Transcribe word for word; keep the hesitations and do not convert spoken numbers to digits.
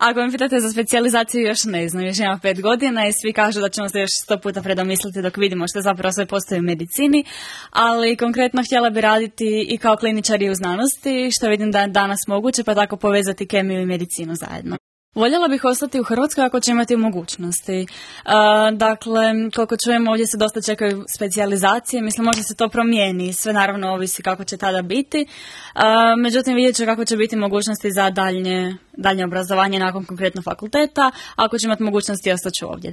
Ako me pitate za specijalizaciju, još ne znam, još imam pet godina i svi kažu da ćemo se još sto puta predomisliti dok vidimo što zapravo sve postoji u medicini, ali konkretno htjela bi raditi i kao kliničari u znanosti, što vidim da je danas moguće, pa tako povezati kemiju i medicinu zajedno. Voljela bih ostati u Hrvatskoj ako će imati mogućnosti. Uh, dakle, koliko čujemo, ovdje se dosta čekaju specijalizacije, mislim možda se to promijeni, sve naravno ovisi kako će tada biti. Uh, međutim, vidjet ću kako će biti mogućnosti za daljnje, daljnje obrazovanje nakon konkretno fakulteta, ako će imati mogućnosti ostat ću ovdje.